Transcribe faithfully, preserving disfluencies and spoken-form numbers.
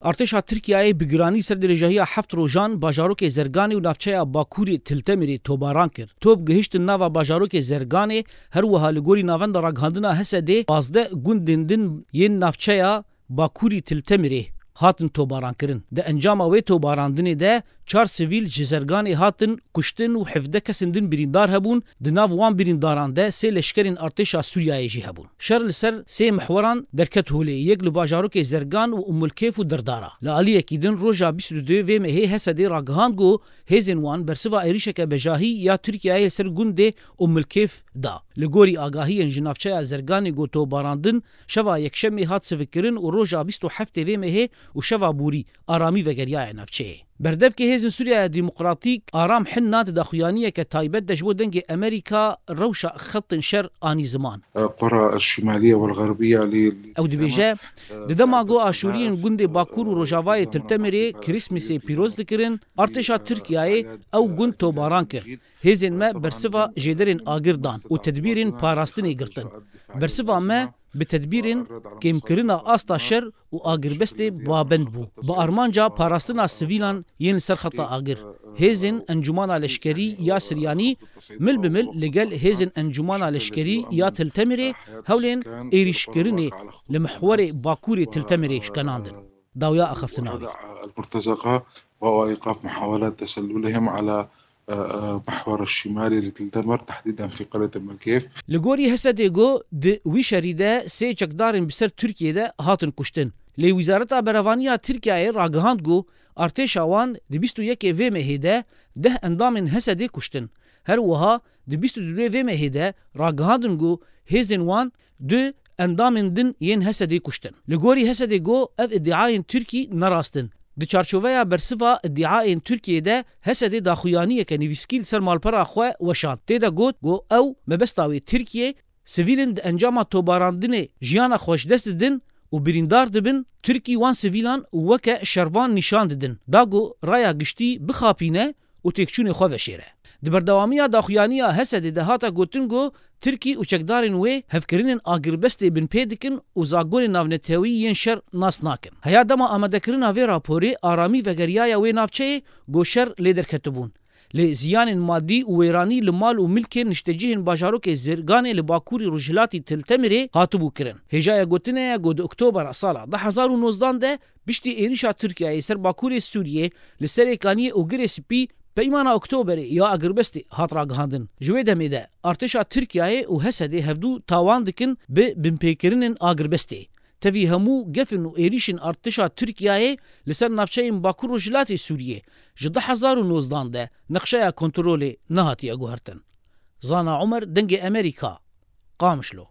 Artêşa Tirkiyeyê bi giranî ser dirêjahiya heft rojan bajarokê Zerganê û navçeya Bakurê Til Temirê tobaran kir. Top gihiştin nava bajarokê Zerganê, her wiha li gorî navenda ragihandina H S D'ê pazdeh gundên din yên navçeya Bakurî Til Temirê hatin tobarankirin. Di encama wê tobarandinê de çar sivîl ji Zerganê hatin kuştin û hevdeh kesên din birîndar hebûn, di nav wan birîndaran de sê leşkerên artêşa Sûriyeyê jî hebûn. Şer li ser sê mihweran derket holê, yek li bajarokê Zergan û Umulkêf û Dirdara. Li aliyekî din roja bîst û duyê vê mehê H S D'ê ragihand ku hêzên wan bersiva êrîşeke bejahî ya Tirkiyeyê li ser gundê Umulkêf da. Li gorî agahiyên ji navçeya Zerganê ku tobarandin, şeva yekşemê hat sivikkirin û roja bîst û heftê vê mehê û şeva borî aramî vegeriyaye navçeyê. Berdevkê Hêzên Sûriyeya Demokratîk Aram Hinna di daxuyaniyeke taybet de ji bo Dengê Amerîka rewşa xetên şer anî ziman. القرى الشمالية والغربية ل- Ew dibêje, di dema ku aşûriyên gundê Bakur û Rojavayê Til Temirê Krîsmîsê pîroz dikirin, artêşa Tirkiyeyê ew gund tobaran kir. Hêzên me bersiva jêderên agir dan û tedbîrên parastinê girtin. Bersiva me bi tedbîrên kêmkirina asta şer û agirbestê babend bû. Bi armanca parastina sivîlan yên li ser xeta agir, hêzên Encûmana Leşkerî ya Siryanî mil bi mil li gel hêzên Encûmana Leşkerî ya Til Temirê hewlên êrîşkirinê li mihwerê Bakurê Til Temirê şkenandin. Dawiya axaftina wî. المرتزقة وإيقاف محاولات تسللهم على محور الشمالي لتل تمر، تحديدا في قرية أم الكيف. Li gorî H S D'ê got, di wî şerî de sê çekdarên bi ser Tirkiyê de hatin kuştin. Lê Wizareta Berevaniya Tirkiyeyê ragihand ku artêşa wan di bîst û yekê vê mehê de deh endamên H S D'ê kuştin. Her wiha di bîst û duyê vê mehê de ragihandin ku hêzên wan du endamên din yên H S D'ê kuştin. Li gorî H S D'ê got, ev îdiayên Tirkî ne rast in. Di çarçoveya bersiva îdiayên Tirkiyê de H S D'ê daxuyaniyeke nivîskî li ser malpera xwe weşand. Tê de got ku ew mebesta wê Tirkiye sivîlên di encama tobarandinê jiyana xwe ji dest didin û birîndar dibin, Tirkî wan sivîlan weke şervan nîşan didin. Da ku raya giştî bixapîne û têkçûnê xwe veşêre. Di berdewamiya daxuyaniya H S D'ê de hate gotin ku Tirkî û çekdarên wê hevkirinên agirbestê binpê dikin û zagonên navnetewî yên şer nas nakin. Heya dema amadekirina vê raporê aramî vegeriyaye wê navçeyê ku şer lê derketibûn. Lê ziyanên madî û wêranî li mal û milkên niştecihên bajarokê Zirganê li bakurî rojhilatî Til Temirê hatibû kirin. Hêjaya gotinê ye ku di Oktobera sala du hezar û nozdan de piştî êrîşa Tirkiyeyê ser bakurê Sûriyê li Serê Kaniyê û Girê Spî Peymana Oktoberê ya agirbestê hat ragihandin. Ji wê demê de artêşa Tirkiyeyê û H S D'ê hevdû tawan dikin bi binpêkirinên agirbestê. Tevî hemû gefin û êrîşên artêşa Tirkiyeyê li ser navçeyên Bakur Rojhilatê Sûriyê ji du hezar û nozdan de nexşeya kontrolê nehatiye guhertin. Zana Omer, Dengê Amerîka, Qamişlo.